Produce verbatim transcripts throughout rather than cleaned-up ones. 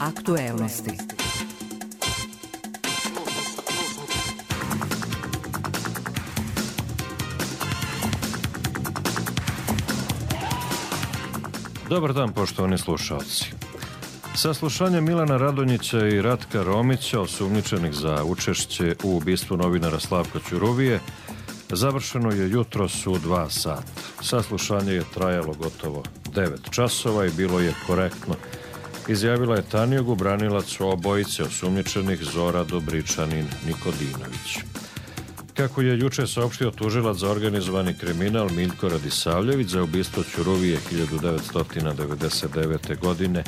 Aktuelnosti. Dobar dan, poštovani slušalci. Saslušanje Milana Radonjića i Ratka Romića, osumnjičenih za učešće u ubistvu novinara Slavka Ćuruvije, završeno je jutros u dva sata. Saslušanje je trajalo gotovo devet časova i bilo je korektno. Izjavila je Tanjugu, branilac obojice osumnjičenih Zora Dobričanin Nikodinović. Kako je juče saopštio tužilac za organizovani kriminal Miljko Radisavljević, za ubistvo Ćuruvije hiljadu devetsto devedeset devete. godine,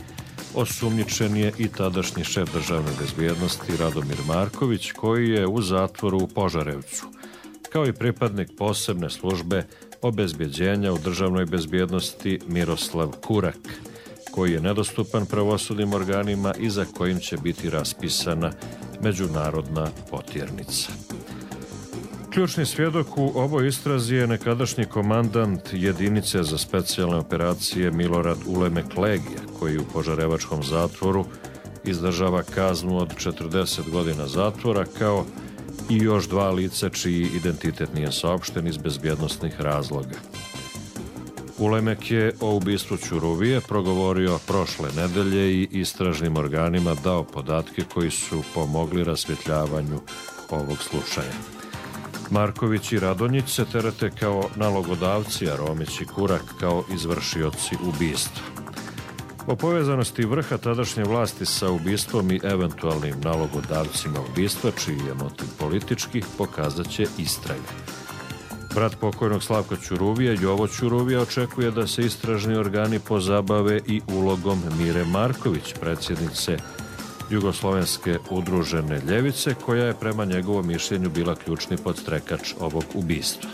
osumnjičen je i tadašnji šef državne bezbjednosti Radomir Marković, koji je u zatvoru u Požarevcu, kao i pripadnik posebne službe obezbjeđenja u državnoj bezbjednosti Miroslav Kurak, koji je nedostupan pravosudnim organima i za kojim će biti raspisana međunarodna potjernica. Ključni svjedok u ovoj istrazi je nekadašnji komandant jedinice za specijalne operacije Milorad Ulemek Legija, koji u požarevačkom zatvoru izdržava kaznu od četrdeset godina zatvora, kao i još dva lica čiji identitet nije saopšten iz bezbjednosnih razloga. Ulemek je o ubistvu Ćuruvije progovorio prošle nedelje i istražnim organima dao podatke koji su pomogli rasvjetljavanju ovog slučaja. Marković i Radonjić se terete kao nalogodavci, a Romić i Kurak kao izvršioci ubistva. O povezanosti vrha tadašnje vlasti sa ubistvom i eventualnim nalogodavcima ubistva, čiji je motiv politički, pokazat će istraga. Brat pokojnog Slavka Ćuruvije, Jovo Ćuruvija, očekuje da se istražni organi pozabave i ulogom Mire Marković, predsjednice Jugoslovenske udružene ljevice, koja je prema njegovom mišljenju bila ključni podstrekač ovog ubistva.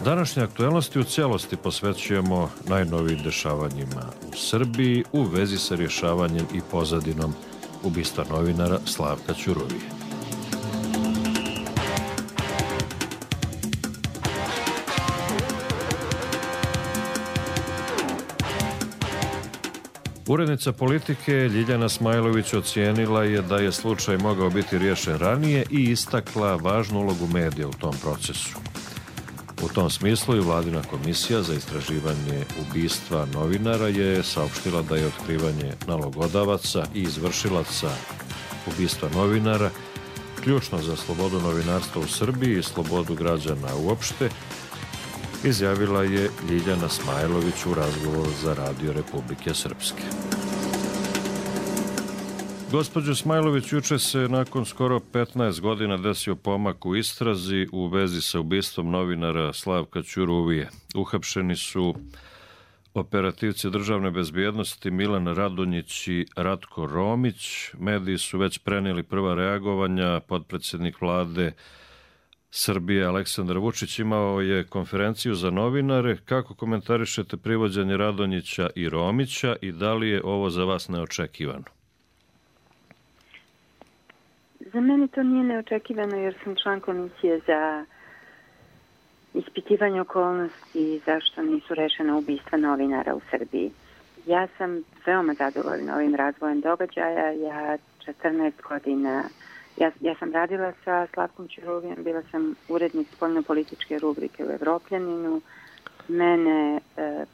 Današnje aktuelnosti u cijelosti posvećujemo najnovijim dešavanjima u Srbiji u vezi sa rješavanjem i pozadinom ubistva novinara Slavka Ćuruvije. Urednica Politike Ljiljana Smajlović ocijenila je da je slučaj mogao biti riješen ranije i istakla važnu ulogu medija u tom procesu. U tom smislu i Vladina komisija za istraživanje ubistva novinara je saopštila da je otkrivanje nalogodavaca i izvršilaca ubistva novinara ključno za slobodu novinarstva u Srbiji i slobodu građana uopšte, izjavila je Ljiljana Smajlović u razgovoru za Radio Republike Srpske. Gospođo Smajlović, juče se nakon skoro petnaest godina desio pomak u istrazi u vezi sa ubistvom novinara Slavka Ćuruvije. Uhapšeni su operativci državne bezbjednosti Milan Radonjić i Ratko Romić. Mediji su već prenijeli prva reagovanja. Potpredsjednik vlade Srbije Aleksandar Vučić imao je konferenciju za novinare. Kako komentarišete privođenje Radonjića i Romića i da li je ovo za vas neočekivano? Za mene to nije neočekivano jer sam član komisije za ispitivanje okolnosti zašto nisu rešena ubistva novinara u Srbiji. Ja sam veoma zadovoljna ovim razvojem događaja. Ja četrnaest godina Ja, ja sam radila sa Slavkom Ćuruvijem, bila sam urednik spoljno-političke rubrike u Evropljaninu. Mene e,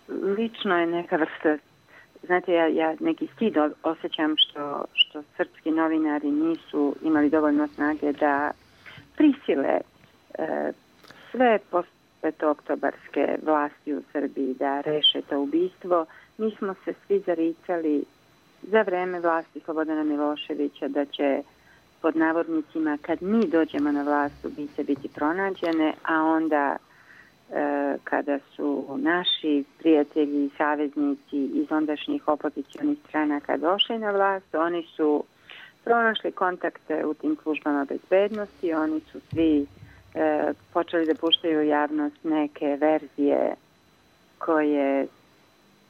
lično je neka vrsta, znate, ja, ja neki stid osjećam što, što srpski novinari nisu imali dovoljno snage da prisile e, sve postpetooktobarske vlasti u Srbiji da reše to ubistvo. Mi smo se svi zaricali za vreme vlasti Slobodana Miloševića da će pod navodnicima kad mi dođemo na vlast ubice biti pronađene, a onda e, kada su naši prijatelji i saveznici iz ondašnjih opozicionih stranaka došli na vlast, oni su pronašli kontakte u tim službama bezbednosti, oni su svi e, počeli da puštaju u javnost neke verzije koje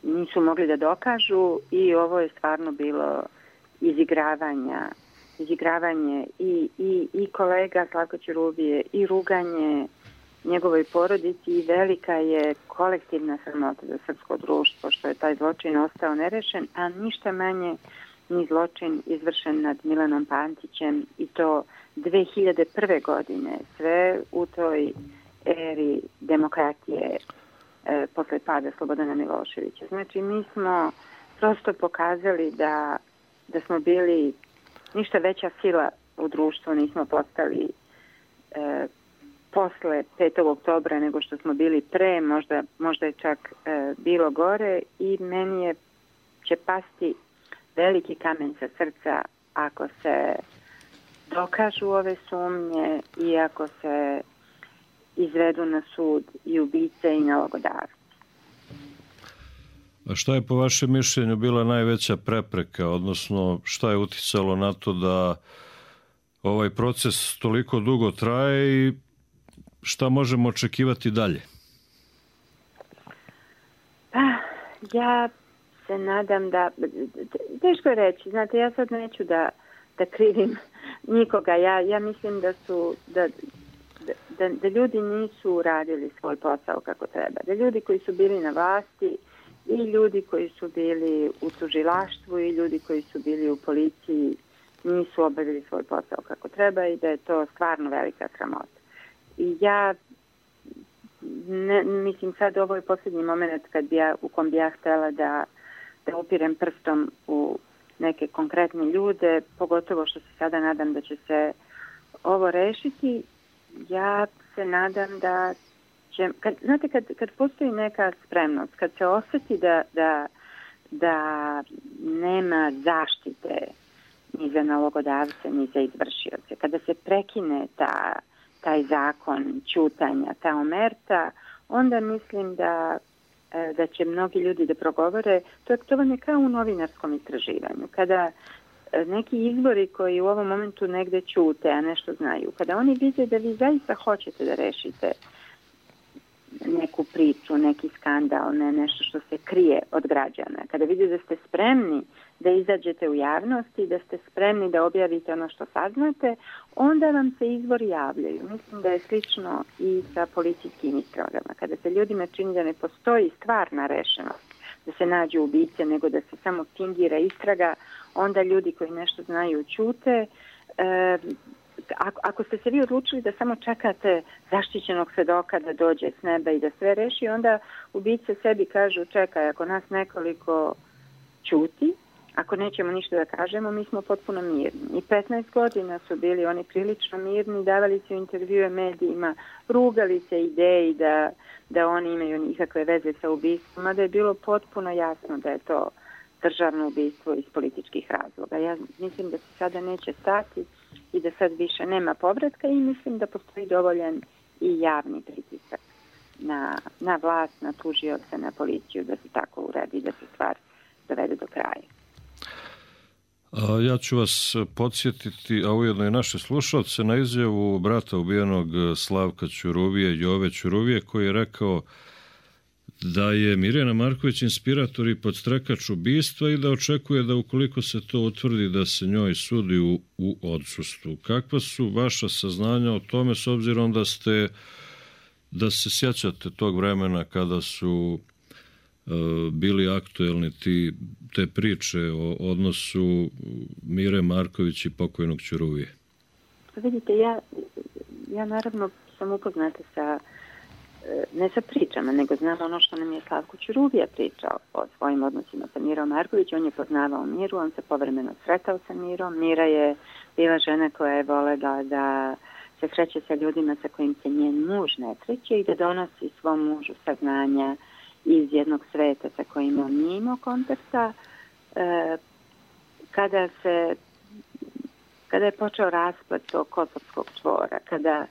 nisu mogli da dokažu i ovo je stvarno bilo izigravanja, izigravanje i, i, i kolega Slavka Ćuruvije i ruganje njegovoj porodici i velika je kolektivna sramota za srpsko društvo što je taj zločin ostao nerešen, a ništa manje ni zločin izvršen nad Milanom Pantićem i to dve hiljade prve. godine, sve u toj eri demokratije e, posle pada Slobodana Miloševića. Znači, mi smo prosto pokazali da, da smo bili ništa veća sila u društvu, nismo postali e, posle petog oktobra nego što smo bili pre, možda, možda je čak e, bilo gore i meni je, će pasti veliki kamen sa srca ako se dokažu ove sumnje i ako se izvedu na sud i ubice i nalogodavci. A šta je po vašem mišljenju bila najveća prepreka, odnosno šta je uticalo na to da ovaj proces toliko dugo traje i šta možemo očekivati dalje? Pa, ja se nadam da... Teško je reći, znate, ja sad neću da, da krivim nikoga. Ja, ja mislim da su... Da, da, da ljudi nisu radili svoj posao kako treba. Da ljudi koji su bili na vlasti i ljudi koji su bili u tužilaštvu i ljudi koji su bili u policiji nisu obavili svoj posao kako treba i da je to stvarno velika sramota. I ja ne, mislim sad ovo je posljednji moment kad bi ja, u kom bi ja htjela da, da upirem prstom u neke konkretne ljude, pogotovo što se sada nadam da će se ovo rešiti. Ja se nadam da će, kad, znate, kad, kad postoji neka spremnost, kad se osjeti da, da, da nema zaštite ni za nalogodavce, ni za izvršioce, kada se prekine ta, taj zakon ćutanja, ta omerta, onda mislim da, da će mnogi ljudi da progovore. To je, to vam je kao u novinarskom istraživanju. Kada neki izbori koji u ovom momentu negde ćute, a nešto znaju, kada oni vide da vi zaista hoćete da rešite neku priču, neki skandal, ne, nešto što se krije od građana, kada vide da ste spremni da izađete u javnost i da ste spremni da objavite ono što saznate, onda vam se izvori javljaju. Mislim da je slično i sa policijskim istragama. Kada se ljudima čini da ne postoji stvarna rešenost, da se nađu ubice, nego da se samo fingira istraga, onda ljudi koji nešto znaju ćute. E, ako, ako ste se vi odlučili da samo čekate zaštićenog svedoka da dođe s neba i da sve reši, onda ubice sebi kažu čekaj, ako nas nekoliko ćuti, ako nećemo ništa da kažemo, mi smo potpuno mirni. I petnaest godina su bili oni prilično mirni, davali su intervjue medijima, rugali se ideji da, da oni imaju nikakve veze sa ubistvom, a da je bilo potpuno jasno da je to državno ubistvo iz političkih razloga. Ja mislim da se sada neće stati i da sad više nema povratka i mislim da postoji dovoljan i javni pritisak na, na vlast, na tužioce, na policiju da se tako uradi, da se stvar dovede do kraja. A ja ću vas podsjetiti, a ujedno i naše slušalce, na izjavu brata ubijenog Slavka Ćuruvije, Jove Ćuruvije, koji je rekao da je Mirjana Marković inspirator i podstrekač ubistva i da očekuje da ukoliko se to utvrdi da se njoj sudi u, u odsustvu. Kakva su vaša saznanja o tome, s obzirom da ste, da se sjećate tog vremena kada su bili aktuelni ti, te priče o odnosu Mire Marković i pokojnog Ćuruvije? Vidite, ja, ja naravno sam upoznata sa, ne sa pričama, nego znam ono što nam je Slavko Ćuruvija pričao o svojim odnosima sa Mirom Marković. On je poznavao Miru, on se povremeno sretao sa Mirom. Mira je bila žena koja je volela da se sreće sa ljudima sa kojim se njen muž ne sreće i da donosi svom mužu saznanja iz jednog sveta sa kojim on nije imao kontakta. E, kada se kada je počeo raspad tog kosovskog čvora, kada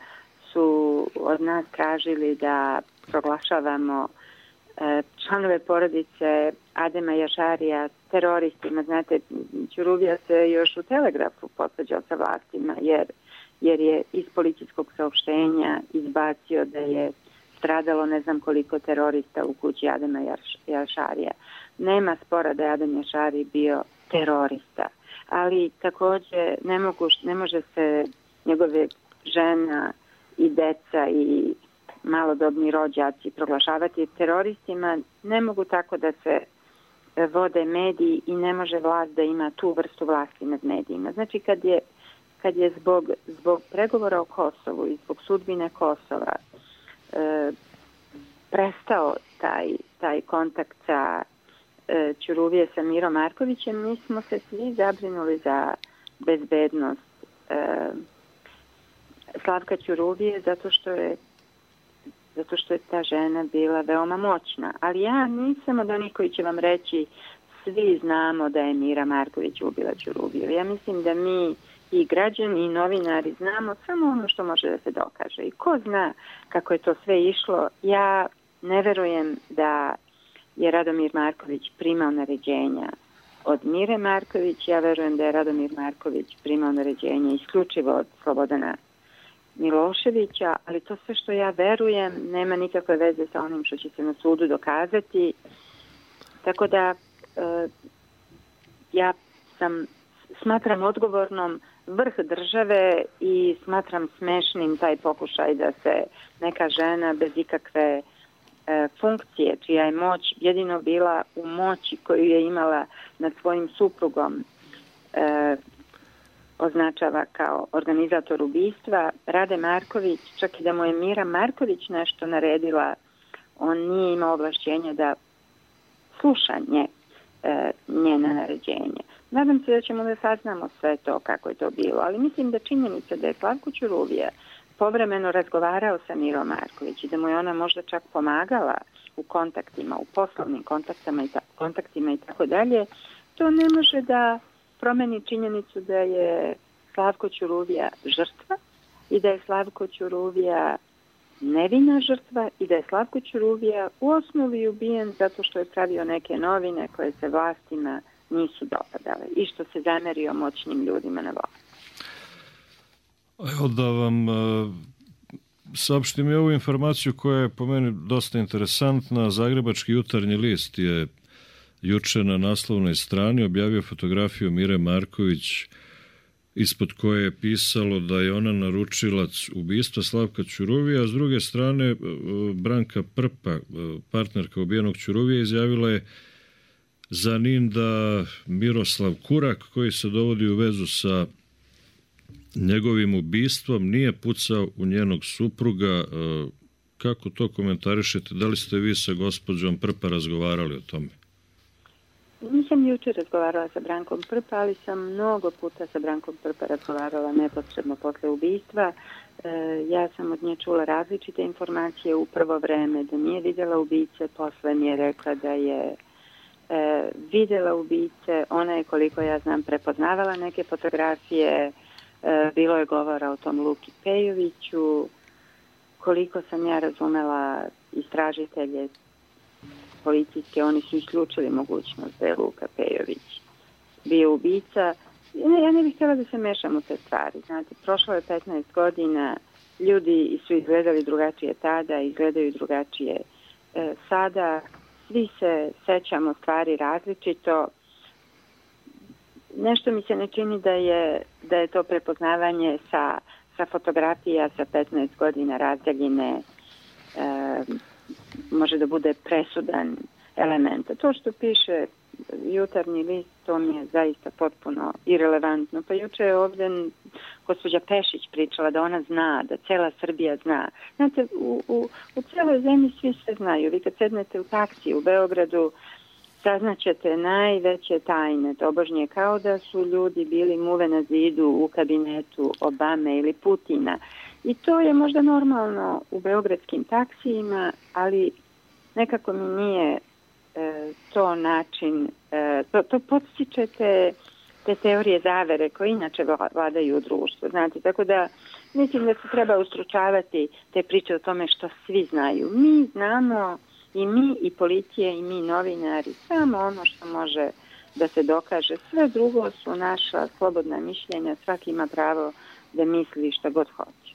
su od nas tražili da proglašavamo e, članove porodice Adema Jašarija teroristima, znate, Ćuruvija se još u Telegrafu posvađao sa vlastima, jer, jer je iz policijskog saopštenja izbacio da je stradalo ne znam koliko terorista u kući Adema Jašarija. Nema spora da je Adem Jašari bio terorista, ali također ne, mogu, ne može se njegove žena i deca i malodobni rođaci proglašavati teroristima, ne mogu tako da se vode mediji i ne može vlast da ima tu vrstu vlasti nad medijima. Znači kad je, kad je zbog, zbog pregovora o Kosovu i zbog sudbine Kosova e, prestao taj, taj kontakt sa e, Ćuruvije sa Mirom Markovićem, mi smo se svi zabrinuli za bezbednost e, Slavka Ćuruvije zato što je zato što je ta žena bila veoma moćna. Ali ja nisam od onih koji će vam reći svi znamo da je Mira Marković ubila Ćuruviju. Ja mislim da mi i građani i novinari znamo samo ono što može da se dokaže. I ko zna kako je to sve išlo, ja ne verujem da je Radomir Marković primao naređenja od Mire Marković, ja verujem da je Radomir Marković primao naređenja isključivo od Slobodana Miloševića, ali to sve što ja verujem nema nikakve veze sa onim što će se na sudu dokazati. Tako da e, ja sam smatram odgovornom vrh države i smatram smešnim taj pokušaj da se neka žena bez ikakve e, funkcije, čija je moć jedino bila u moći koju je imala nad svojim suprugom, e, označava kao organizator ubistva. Rade Marković, čak i da mu je Mira Marković nešto naredila, on nije imao ovlašćenja da sluša nje, e, njena naređenja. Nadam se da ćemo da saznamo sve to kako je to bilo, ali mislim da činjenica da je Slavko Ćuruvija povremeno razgovarao sa Mirom Marković i da mu je ona možda čak pomagala u kontaktima, u poslovnim kontaktima i, ta, kontaktima i tako dalje, to ne može da promeni činjenicu da je Slavko Ćuruvija žrtva i da je Slavko Ćuruvija nevina žrtva i da je Slavko Ćuruvija u osnovi ubijen zato što je pravio neke novine koje se vlastima nisu dopadale i što se zamerio moćnim ljudima na vlast. Evo da vam uh, saopštim i ovu informaciju koja je po meni dosta interesantna. Zagrebački jutarnji list je juče na naslovnoj strani objavio fotografiju Mire Marković ispod koje je pisalo da je ona naručilac ubistva Slavka Ćuruvija, a s druge strane Branka Prpa, partnerka ubijenog Ćuruvija, izjavila je za Nin da Miroslav Kurak, koji se dovodi u vezu sa njegovim ubistvom, nije pucao u njenog supruga. Kako to komentarišete? Da li ste vi sa gospođom Prpa razgovarali o tome? Nisam jučer razgovarala sa Brankom Prpa, ali sam mnogo puta sa Brankom Prpa razgovarala neposredno posle ubistva. E, ja sam od nje čula različite informacije u prvo vreme, da nije vidjela ubice, posle mi je rekla da je e, vidjela ubice. Ona je, koliko ja znam, prepoznavala neke fotografije, e, bilo je govora o tom Luki Pejoviću. Koliko sam ja razumela istražitelje policijske, oni su isključili mogućnost da je Luka Pejović bio ubica. Ja ne bih htjela da se mešam u te stvari. Znate, prošlo je petnaest godina, ljudi su izgledali drugačije tada, izgledaju drugačije e, sada. Svi se sećamo stvari različito. Nešto mi se ne čini da je, da je to prepoznavanje sa, sa fotografija sa petnaest godina razdaljine e, može da bude presudan element. To što piše jutarnji list, to mi je zaista potpuno irelevantno. Pa juče je ovdje gospođa Pešić pričala da ona zna, da cela Srbija zna. Znate, u, u, u celoj zemlji svi sve znaju. Vi kad sednete u taksi u Beogradu, saznaćete najveće tajne, tobožnje, kao da su ljudi bili muve na zidu u kabinetu Obame ili Putina. I to je možda normalno u beogradskim taksijima, ali nekako mi nije e, to način, e, to, to podstičete te teorije zavere koje inače vladaju u društvu. Znate, tako da mislim da se treba ustručavati te priče o tome što svi znaju. Mi znamo, i mi, i policija, i mi novinari, samo ono što može da se dokaže. Sve drugo su naša slobodna mišljenja, svaki ima pravo da misli šta god hoće.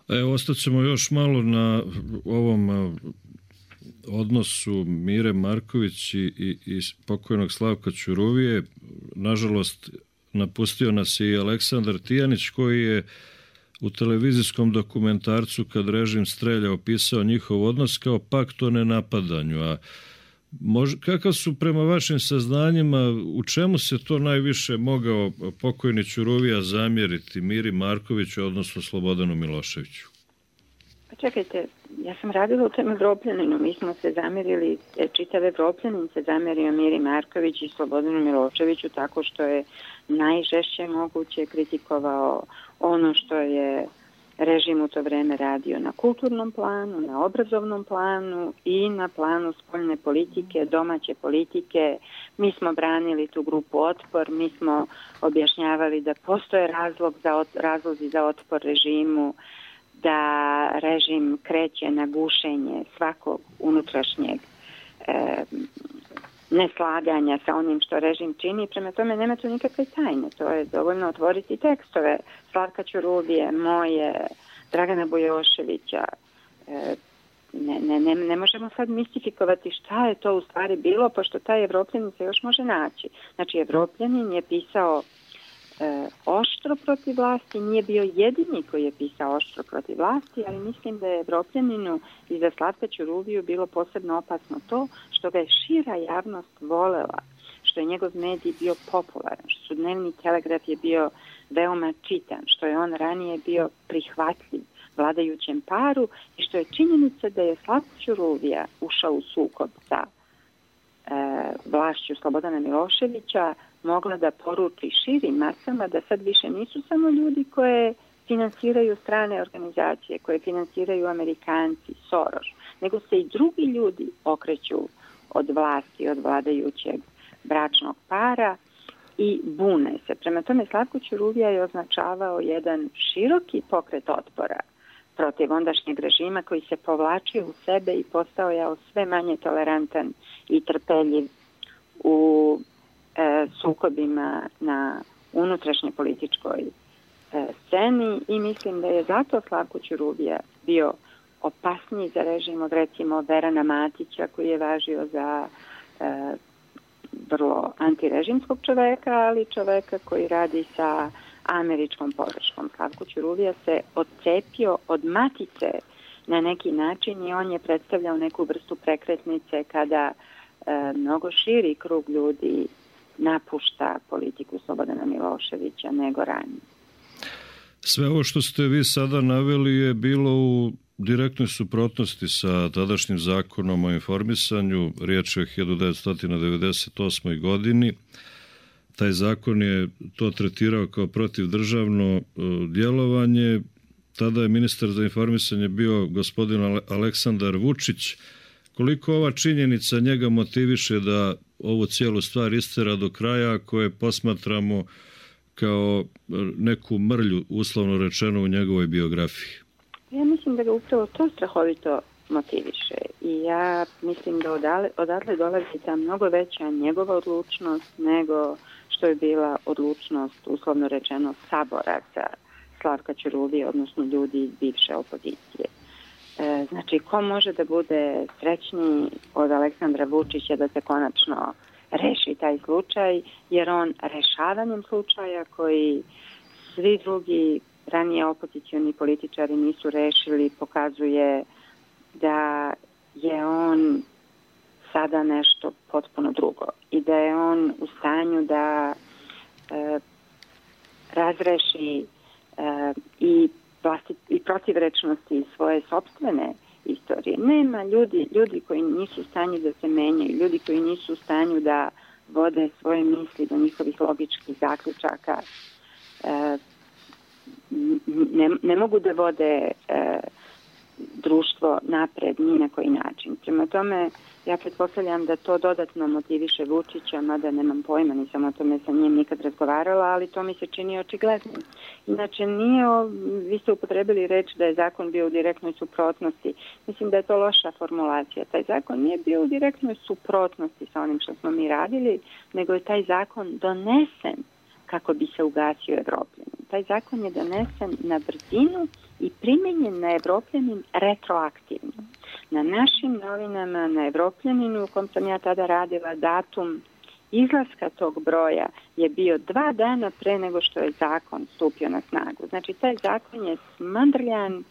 Evo, ostaćemo još malo na ovom odnosu Mire Marković i, i, i pokojnog Slavka Ćuruvije. Nažalost, napustio nas i Aleksandar Tijanić, koji je u televizijskom dokumentarcu Kad režim strelja opisao njihov odnos kao pakt o nenapadanju. A Mož, kakav su prema vašim saznanjima, u čemu se to najviše mogao pokojni Ćuruvija zamjeriti Miri Markoviću, odnosno Slobodanu Miloševiću? Pa čekajte, ja sam radila u tom Evropljaninu, mi smo se zamjerili, čitav Evropljanin se zamjerio Miri Marković i Slobodanu Miloševiću tako što je najžešće moguće kritikovao ono što je režim u to vreme radio na kulturnom planu, na obrazovnom planu i na planu spoljne politike, domaće politike. Mi smo branili tu grupu Otpor, mi smo objašnjavali da postoje razlog za, razlozi za otpor režimu, da režim kreće na gušenje svakog unutrašnjeg e, neslaganja sa onim što režim čini. Prema tome nema tu nikakve tajne. To je dovoljno otvoriti tekstove Slavka Ćuruvije, moje, Dragana Bujoševića. E, ne, ne, ne, ne možemo sad mistifikovati šta je to u stvari bilo, pošto taj Evropljanin se još može naći. Znači, Evropljanin je pisao e, oštro protiv vlasti, nije bio jedini koji je pisao oštro protiv vlasti, ali mislim da je Evropljaninu i za Slavka Ćuruviju bilo posebno opasno to što ga je šira javnost volela, što je njegov medij bio popularan, što su Dnevni telegraf je bio veoma čitan, što je on ranije bio prihvatljiv vladajućem paru i što je činjenica da je Slavko Ćuruvija ušao u sukob sa e, vlašću Slobodana Miloševića mogla da poruči širim masama da sad više nisu samo ljudi koje finansiraju strane organizacije, koje finansiraju Amerikanci, Soros, nego se i drugi ljudi okreću od vlasti, od vladajućeg bračnog para i bune se. Prema tome, Slavko Ćuruvija je označavao jedan široki pokret otpora protiv ondašnjeg režima koji se povlačio u sebe i postao je sve manje tolerantan i trpeljiv u e, sukobima na unutrašnje političkoj e, sceni i mislim da je zato Slavko Ćuruvija bio opasniji za režim od recimo Verana Matića koji je važio za e, vrlo antirežimskog čoveka, ali čoveka koji radi sa američkom podrškom. Slavko Ćuruvija se odcepio od Matice na neki način i on je predstavljao neku vrstu prekretnice kada e, mnogo širi krug ljudi napušta politiku Slobodana Miloševića nego ranije. Sve ovo što ste vi sada naveli je bilo u direktnoj suprotnosti sa tadašnjim zakonom o informisanju, riječ je o hiljadu devetsto devedeset osmoj. godini. Taj zakon je to tretirao kao protivdržavno djelovanje. Tada je ministar za informisanje bio gospodin Aleksandar Vučić. Koliko ova činjenica njega motiviše da ovu cijelu stvar istera do kraja, koje posmatramo kao neku mrlju, uslovno rečeno, u njegovoj biografiji? Ja mislim da ga upravo to strahovito motiviše i ja mislim da odale, odatle dolazi ta mnogo veća njegova odlučnost nego što je bila odlučnost, uslovno rečeno, saboraca Slavka Ćuruvije, odnosno ljudi iz bivše opozicije. E, znači, ko može da bude srećniji od Aleksandra Vučića da se konačno reši taj slučaj, jer on rešavanjem slučaja koji svi drugi ranije opozicioni političari nisu rešili, pokazuje da je on sada nešto potpuno drugo i da je on u stanju da e, razreši e, i, vlasti, i protivrečnosti svoje sopstvene istorije. Nema ljudi, ljudi koji nisu u stanju da se menjaju, ljudi koji nisu u stanju da vode svoje misli do njihovih logičkih zaključaka. E, ne, ne mogu da vode e, društvo napred ni na koji način. Prema tome, ja pretpostavljam da to dodatno motiviše Vučića, mada nemam pojma, nisam o tome sa njim nikad razgovarala, ali to mi se čini očigledno. Inače, nije, vi ste upotrebili reč da je zakon bio u direktnoj suprotnosti. Mislim da je to loša formulacija. Taj zakon nije bio u direktnoj suprotnosti sa onim što smo mi radili, nego je taj zakon donesen kako bi se ugasio Evropljanin. Taj zakon je donesen na brzinu i primenjen na Evropljanin retroaktivno. Na našim novinama, na Evropljaninu u kom sam ja tada radila, datum izlaska tog broja je bio dva dana pre nego što je zakon stupio na snagu. Znači, taj zakon je smandrljan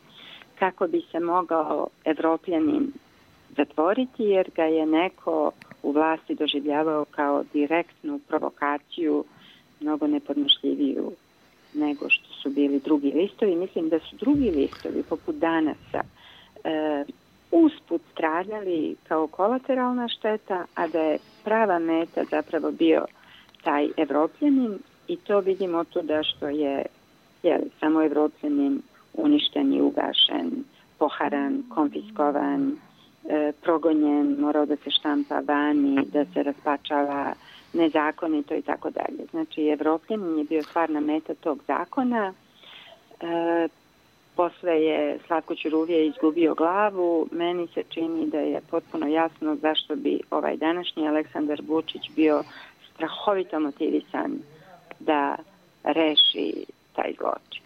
kako bi se mogao Evropljanin zatvoriti, jer ga je neko u vlasti doživljavao kao direktnu provokaciju, mnogo nepodnošljiviju nego što su bili drugi listovi. Mislim da su drugi listovi, poput Danasa, e, usput stradali kao kolateralna šteta, a da je prava meta zapravo bio taj Evropljanin, i to vidimo tu da što je, je samo Evropljanin uništen i ugašen, poharan, konfiskovan, e, progonjen, morao da se štampa vani, da se raspačava nezakonito i tako dalje. Znači, Evropljanin je bio stvarna meta tog zakona. E, posle je Slavko Ćuruvija izgubio glavu. Meni se čini da je potpuno jasno zašto bi ovaj današnji Aleksandar Vučić bio strahovito motivisan da reši taj zločin.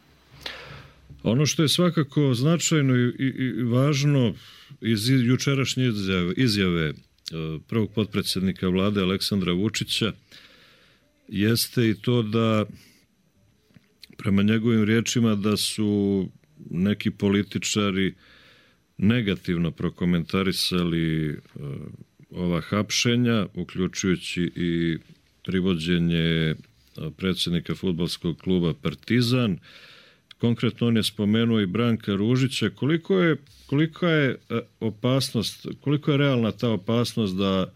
Ono što je svakako značajno i, i, i važno iz jučerašnje izjave, izjave prvog potpredsjednika vlade Aleksandra Vučića jeste i to da, prema njegovim riječima, da su neki političari negativno prokomentarisali ova hapšenja, uključujući i privođenje predsjednika fudbalskog kluba Partizan. Konkretno on je spomenuo i Branka Ružića. Koliko je, koliko je opasnost, koliko je realna ta opasnost da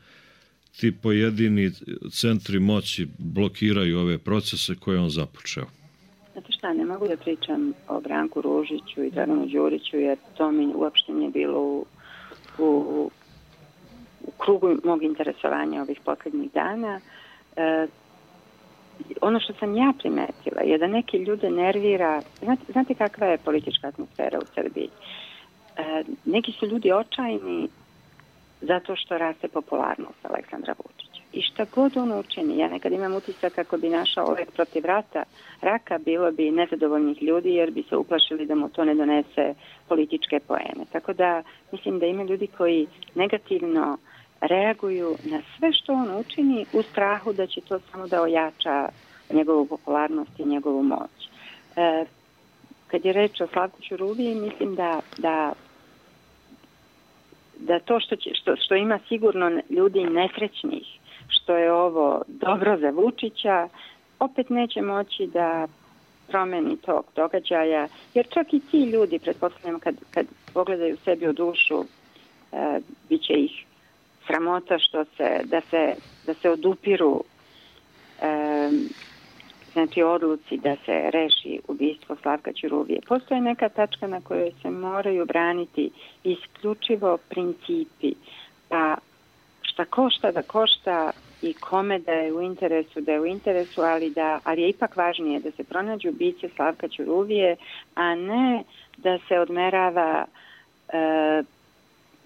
ti pojedini centri moći blokiraju ove procese koje on započeo? Znate šta, ne mogu da pričam o Branku Ružiću i Draganu Đuriću, jer to mi uopšte nije bilo u, u, u krugu mog interesovanja ovih posljednjih dana. E, ono što sam ja primetila je da neki ljude nervira. Znate, znate kakva je politička atmosfera u Srbiji? E, neki su ljudi očajni zato što raste popularnost Aleksandra Vučića. I šta god on učini, ja nekad imam utisak kako bi našao lek protiv rata, raka, bilo bi nezadovoljnih ljudi jer bi se uplašili da mu to ne donese političke poene. Tako da mislim da ima ljudi koji negativno reaguju na sve što on učini u strahu da će to samo da ojača njegovu popularnost i njegovu moć. E, kad je reč o Slavku Ćuruviji, mislim da, da, da to što, će, što, što ima sigurno ljudi nesrećnih, što je ovo dobro za Vučića, opet neće moći da promeni tog događaja, jer čak i ti ljudi, pretpostavljam, kad, kad pogledaju sebi u dušu, e, bit će ih sramota što se, da se, da se odupiru e, znači odluci da se reši ubistvo Slavka Ćuruvije. Postoje neka tačka na kojoj se moraju braniti isključivo principi, pa šta košta da košta i kome da je u interesu, da je u interesu, ali, da, ali je ipak važnije da se pronađu ubice Slavka Ćuruvije, a ne da se odmerava e,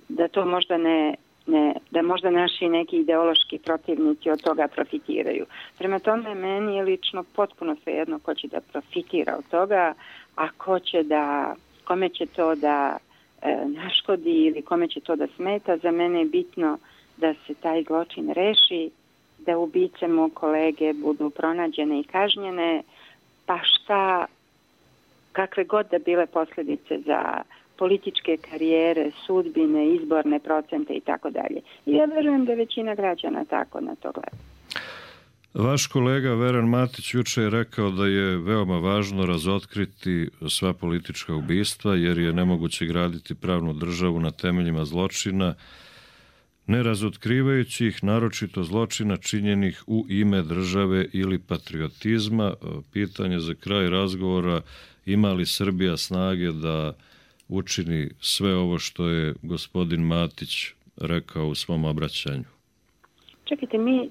da to možda ne Ne, da možda naši neki ideološki protivnici od toga profitiraju. Prema tome, meni je lično potpuno svejedno ko će da profitira od toga, a ko će da, kome će to da e, naškodi ili kome će to da smeta. Za mene je bitno da se taj zločin reši, da ubice mog kolege budu pronađene i kažnjene, pa šta, kakve god da bile posljedice za političke karijere, sudbine, izborne procente i tako dalje. I ja verujem da većina građana tako na to gleda. Vaš kolega Veran Matić juče je rekao da je veoma važno razotkriti sva politička ubistva, jer je nemoguće graditi pravnu državu na temeljima zločina, ne razotkrivajući ih, naročito zločina činjenih u ime države ili patriotizma. Pitanje za kraj razgovora: ima li Srbija snage da učini sve ovo što je gospodin Matić rekao u svom obraćanju? Čekajte, mi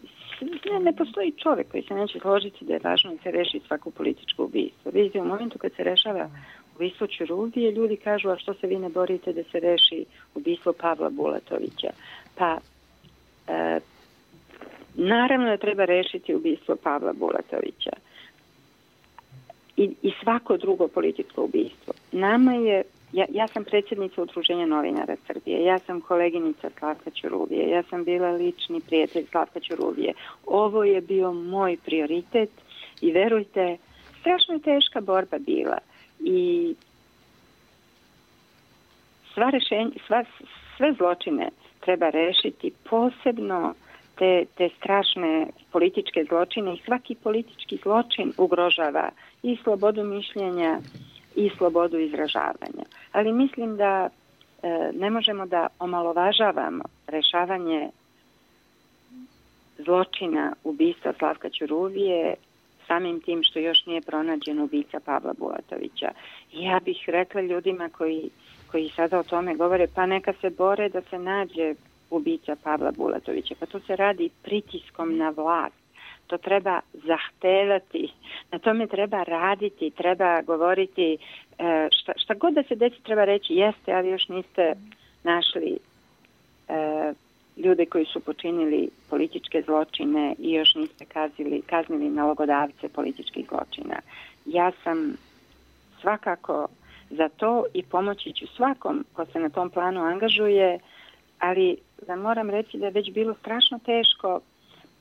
ne, ne postoji čovjek koji se neće složiti da je važno da se reši svako političko ubistvo. Vidite, u momentu kad se rešava ubistvo Ćuruvije, ljudi kažu: a što se vi ne borite da se reši ubistvo Pavla Bulatovića? Pa, e, naravno da treba rešiti ubistvo Pavla Bulatovića i, i svako drugo političko ubistvo. Nama je ja, ja sam predsjednica Udruženja novinara Srbije, ja sam koleginica Slavka Ćuruvije, ja sam bila lični prijatelj Slavka Ćuruvije. Ovo je bio moj prioritet i verujte, strašno je teška borba bila i sva rešenja, sva, sve zločine treba rešiti, posebno te, te strašne političke zločine i svaki politički zločin ugrožava i slobodu mišljenja i slobodu izražavanja. Ali mislim da e, ne možemo da omalovažavamo rešavanje zločina ubistva Slavka Ćuruvije samim tim što još nije pronađen ubica Pavla Bulatovića. I ja bih rekla ljudima koji, koji sada o tome govore, pa neka se bore da se nađe ubica Pavla Bulatovića. Pa to se radi pritiskom na vlast. To treba zahtevati, na tome treba raditi, treba govoriti, šta, šta god da se desi treba reći, jeste, ali još niste našli e, ljude koji su počinili političke zločine i još niste kaznili, kaznili nalogodavce političkih zločina. Ja sam svakako za to i pomoći ću svakom ko se na tom planu angažuje, ali da moram reći da je već bilo strašno teško.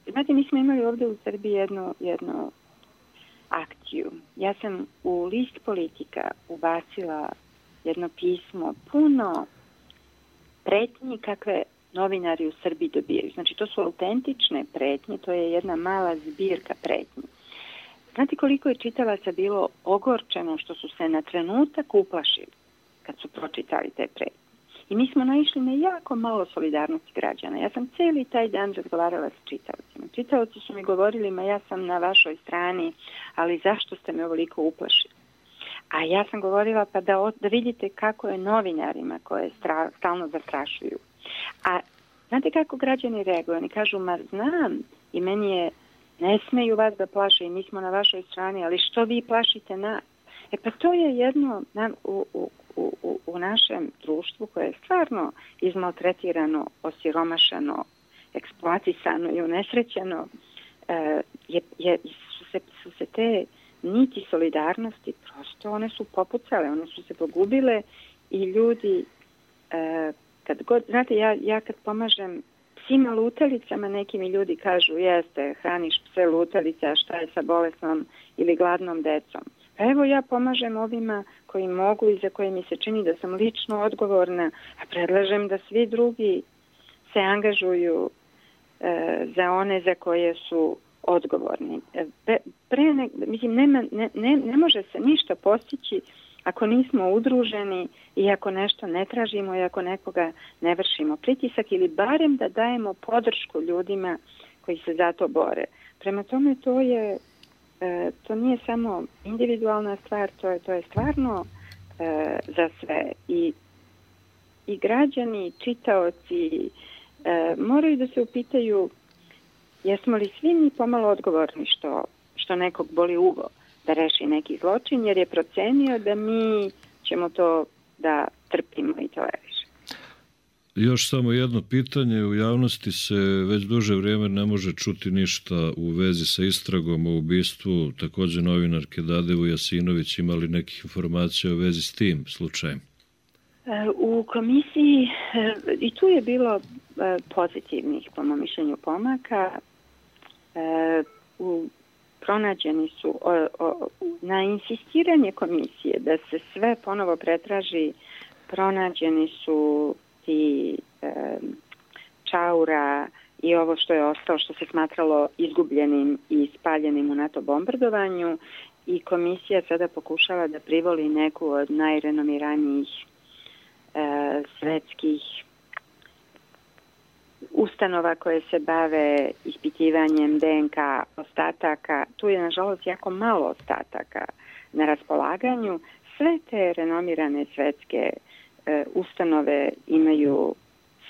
Znate, mi smo imali ovdje u Srbiji jednu, jednu akciju. Ja sam u list Politika ubacila jedno pismo puno pretnji kakve novinari u Srbiji dobijaju. Znači, to su autentične pretnje, to je jedna mala zbirka pretnji. Znate koliko je čitalaca bilo ogorčeno što su se na trenutak uplašili kad su pročitali te pretnje. I mi smo naišli na jako malo solidarnosti građana. Ja sam cijeli taj dan razgovarala s čitavcima. Čitavci su mi govorili, ma ja sam na vašoj strani, ali zašto ste me ovoliko uplašili? A ja sam govorila pa da, da vidite kako je novinarima koje stra, stalno zastrašuju. A znate kako građani reaguju? Oni kažu, ma znam i meni je, ne smeju vas da plaše i mi smo na vašoj strani, ali što vi plašite nas? E pa to je jedno u, u, u, u našem društvu koje je stvarno izmaltretirano, osiromašano, eksploatisano i unesrećeno, e, je, je, su, se, su se te niti solidarnosti, prosto one su popucale, one su se pogubile i ljudi, e, kad god, znate, ja, ja kad pomažem psima lutalicama, neki mi ljudi kažu, jeste, hraniš pse lutalice, a šta je sa bolesnom ili gladnom decom? Pa evo ja pomažem ovima koji mogu i za koje mi se čini da sam lično odgovorna, a predlažem da svi drugi se angažuju e, za one za koje su odgovorni. E, pre ne, mislim, nema, ne, ne, ne može se ništa postići ako nismo udruženi i ako nešto ne tražimo i ako nekoga ne vršimo pritisak ili barem da dajemo podršku ljudima koji se za to bore. Prema tome to je e, to nije samo individualna stvar, to je, to je stvarno e, za sve. I, i građani, i čitaoci e, moraju da se upitaju jesmo li svi mi pomalo odgovorni što, što nekog boli uvo da reši neki zločin, jer je procenio da mi ćemo to da trpimo i tolerišemo. Još samo jedno pitanje. U javnosti se već duže vrijeme ne može čuti ništa u vezi sa istragom o ubistvu također novinarke Dade Vujasinović. Ima li nekih informacija u vezi s tim slučajem? U komisiji i tu je bilo pozitivnih, po mom mišljenju, pomaka. U pronađeni su o, o, na insistiranje komisije da se sve ponovo pretraži, pronađeni su ti e, čaura i ovo što je ostalo, što se smatralo izgubljenim i spaljenim u NATO bombardovanju, i komisija sada pokušava da privoli neku od najrenomiranijih e, svetskih ustanova koje se bave ispitivanjem D N K ostataka. Tu je, nažalost, jako malo ostataka na raspolaganju. Sve te renomirane svetske e, ustanove imaju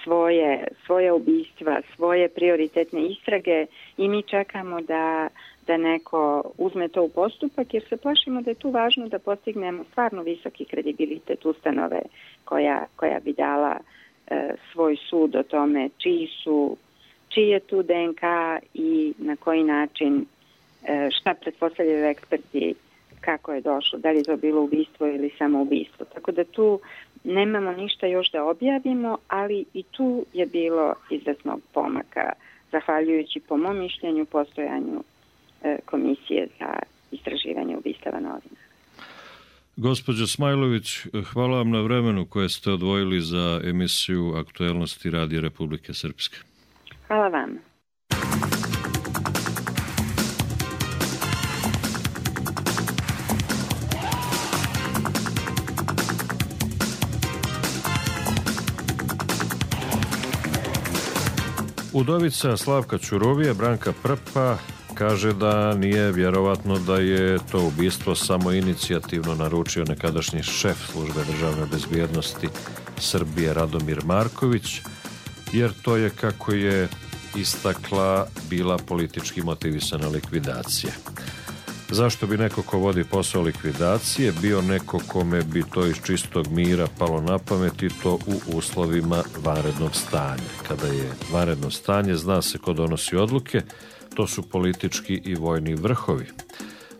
svoje, svoje ubistva, svoje prioritetne istrage i mi čekamo da, da neko uzme to u postupak, jer se plašimo da je tu važno da postignemo stvarno visoki kredibilitet ustanove koja, koja bi dala svoj sud o tome čiji su, čiji je tu D N K i na koji način, šta pretpostavljaju eksperti, kako je došlo, da li je to bilo ubistvo ili samo ubistvo. Tako da tu nemamo ništa još da objavimo, ali i tu je bilo izvesnog pomaka, zahvaljujući po mom mišljenju postojanju e, komisije za istraživanje ubistava novinara. Gospođo Smajlović, hvala vam na vremenu koje ste odvojili za emisiju Aktuelnosti Radija Republike Srpske. Hvala vam. Udovica Slavka Ćuruvije, Branka Prpa, kaže da nije vjerovatno da je to ubistvo samo inicijativno naručio nekadašnji šef službe državne bezbjednosti Srbije Radomir Marković, jer to je, kako je istakla, bila politički motivisana likvidacija. Zašto bi neko ko vodi posao likvidacije bio neko kome bi to iz čistog mira palo na pamet, i to u uslovima vanrednog stanja? Kada je vanredno stanje, zna se ko donosi odluke, to su politički i vojni vrhovi.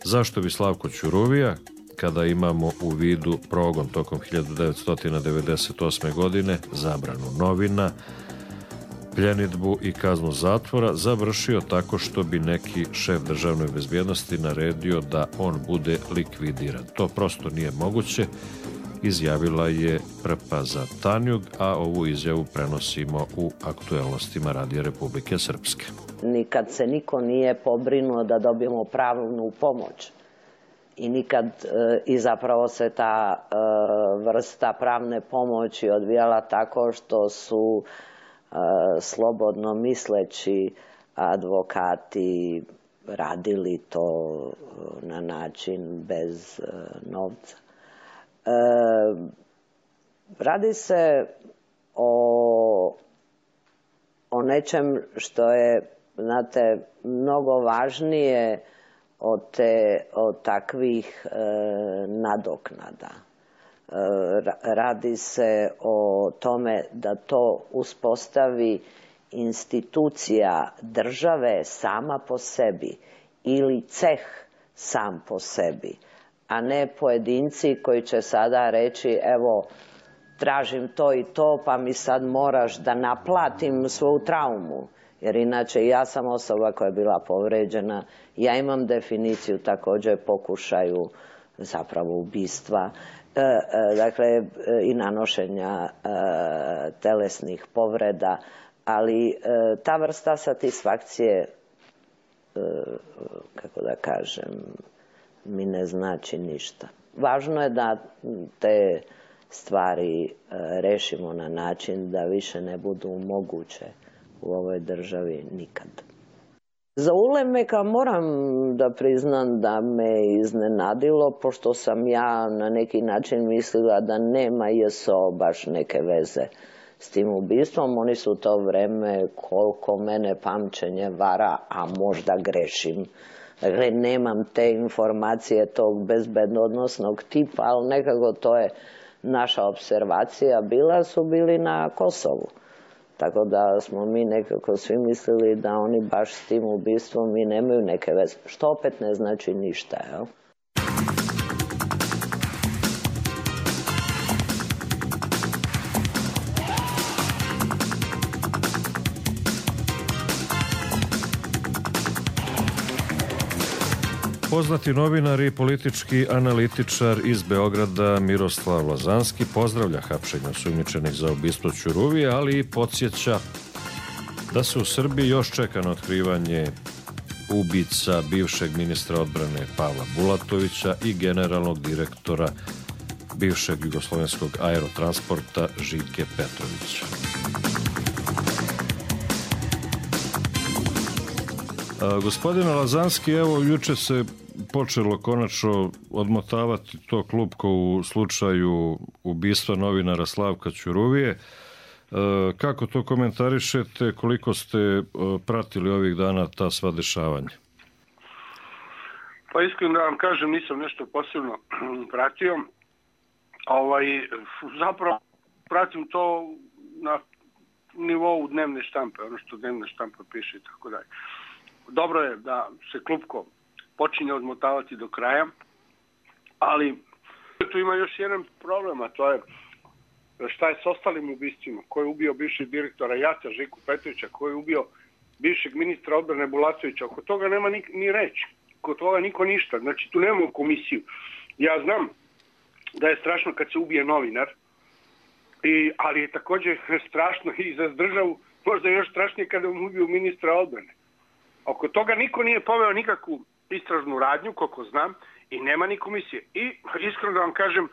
Zašto bi Slavko Ćuruvija, kada imamo u vidu progon tokom hiljadu devetsto devedeset osme. godine, zabranu novina, pljenidbu i kaznu zatvora, završio tako što bi neki šef državne bezbjednosti naredio da on bude likvidiran? To prosto nije moguće, izjavila je Prpa za Tanjug, a ovu izjavu prenosimo u Aktuelnostima Radija Republike Srpske. Nikad se niko nije pobrinuo da dobijemo pravnu pomoć i nikad i zapravo se ta vrsta pravne pomoći odvijala tako što su slobodno misleći advokati radili to na način bez novca. Radi se o, o nečem što je, znate, mnogo važnije od, te, od takvih e, nadoknada. E, radi se o tome da to uspostavi institucija države sama po sebi ili ceh sam po sebi, a ne pojedinci koji će sada reći evo tražim to i to pa mi sad moraš da naplatim svoju traumu. Jer inače ja sam osoba koja je bila povređena, ja imam definiciju također pokušaju zapravo ubistva, e, e, dakle e, i nanošenja e, telesnih povreda, ali e, ta vrsta satisfakcije, e, kako da kažem, mi ne znači ništa. Važno je da te stvari e, rešimo na način da više ne budu moguće u ovoj državi nikad. Za Ulemeka moram da priznam da me iznenadilo, pošto sam ja na neki način mislila da nema J S O baš neke veze s tim ubistvom. Oni su to vreme, koliko mene pamćenje vara, a možda grešim. Dakle, nemam te informacije tog bezbednosnog tipa, ali nekako to je naša observacija bila, su bili na Kosovu. Tako da smo mi nekako svi mislili da oni baš s tim ubistvom i nemaju neke veze. Što opet ne znači ništa, jel? Poznati novinar i politički analitičar iz Beograda Miroslav Lazanski pozdravlja hapšenje osumnjičenih za ubistvo Ćuruvije, ali i podsjeća da se u Srbiji još čeka na otkrivanje ubica bivšeg ministra odbrane Pavla Bulatovića i generalnog direktora bivšeg jugoslovenskog aerotransporta Žike Petrovića. A, gospodine Lazanski, evo juče se počelo konačno odmotavati to klupko u slučaju ubistva novinara Slavka Ćuruvije. E, kako to komentarišete, koliko ste e, pratili ovih dana ta sva dešavanja? Pa iskreno da vam kažem, nisam nešto posebno pratio. Ovaj, zapravo pratim to na nivou dnevne štampe, ono što dnevna štampa piše i tako dalje. Dobro je da se klupko počinje odmotavati do kraja, Ali tu ima još jedan problem, a to je šta je s ostalim ubistvima. Ko je ubio bivšeg direktora Jata, Žiku Petrovića, ko je ubio bivšeg ministra odbrane Bulatovića. Oko toga nema ni, ni reći. Oko toga niko ništa. Znači, tu nemamo komisiju. Ja znam da je strašno kad se ubije novinar, i, ali je također strašno i za državu, možda još strašnije kada mu ubiju ministra odbrane. Oko toga niko nije poveo nikakvu istražnu radnju, koliko znam, i nema ni komisije. I iskreno da vam kažem,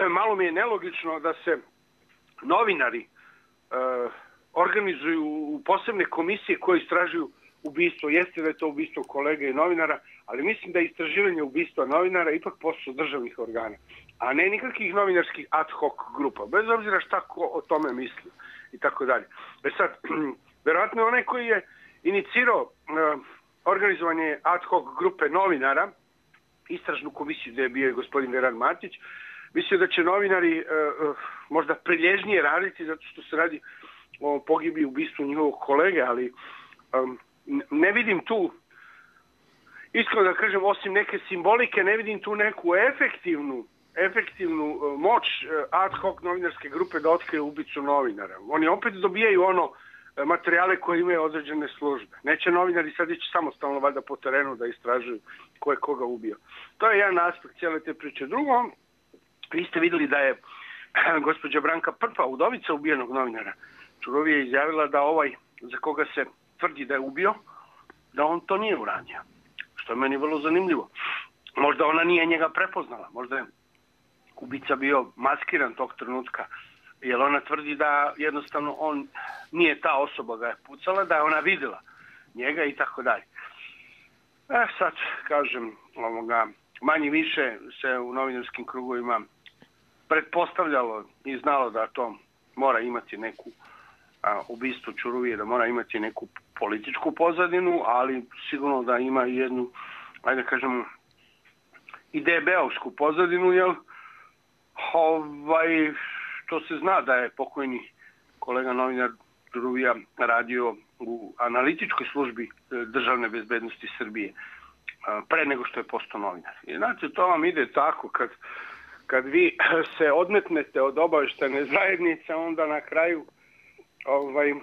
malo mi je nelogično da se novinari e, organizuju u posebne komisije koje istražuju ubistvo. Jeste da je to ubistvo kolege i novinara, ali mislim da je istraživanje ubistva novinara ipak posao državnih organa, a ne nikakvih novinarskih ad hoc grupa, bez obzira šta ko o tome misli i tako dalje. E sad, verovatno je onaj koji je inicirao e, organizovanje ad hoc grupe novinara, istražnu komisiju gdje je bio gospodin Veran Matić, mislio da će novinari e, možda prilježnije raditi zato što se radi o pogibi i ubistvu njihovog kolege, ali um, ne vidim tu, iskreno da kažem, osim neke simbolike, ne vidim tu neku efektivnu, efektivnu uh, moć uh, ad hoc novinarske grupe da otkrije ubicu novinara. Oni opet dobijaju ono uh, materijale koje imaju određene službe. Neće novinari sad ići samostalno valjda po terenu da istražuju ko je koga ubio. To je jedan aspekt cijele te priče. Drugo, vi ste vidjeli da je gospođa Branka Prpa, udovica ubijenog novinara Čurovije, izjavila da ovaj za koga se tvrdi da je ubio, da on to nije uradio. Što je meni vrlo zanimljivo. Možda ona nije njega prepoznala, možda je ubica bio maskiran tog trenutka, jer ona tvrdi da jednostavno on nije ta osoba ga je pucala, da je ona vidjela njega i tako dalje. E sad, kažem, ovoga, manje više se u novinarskim krugovima pretpostavljalo i znalo da to mora imati neku a, ubistvo Čuruvije, da mora imati neku političku pozadinu, ali sigurno da ima i jednu, ajde kažemo, i de be-ovsku pozadinu, jer ovaj, to se zna da je pokojni kolega novinar Čuruvija radio u analitičkoj službi državne bezbednosti Srbije pre nego što je postao novinar. I znači, to vam ide tako, kad, kad vi se odmetnete od obavještajne zajednice, onda na kraju ovaj,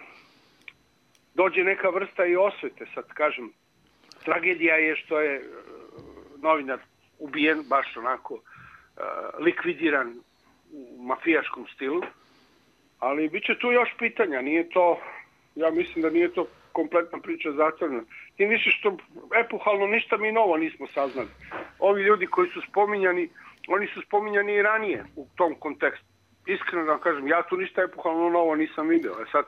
dođe neka vrsta i osvete. Sad kažem, tragedija je što je novinar ubijen, baš onako likvidiran u mafijaškom stilu, ali bit će tu još pitanja. Nije to, ja mislim da nije to kompletna priča zatvorena. Tim više što epohalno ništa mi novo nismo saznali. Ovi ljudi koji su spominjani, oni su spominjani i ranije u tom kontekstu. Iskreno da vam kažem, ja tu ništa epohalno novo nisam vidio. E sad,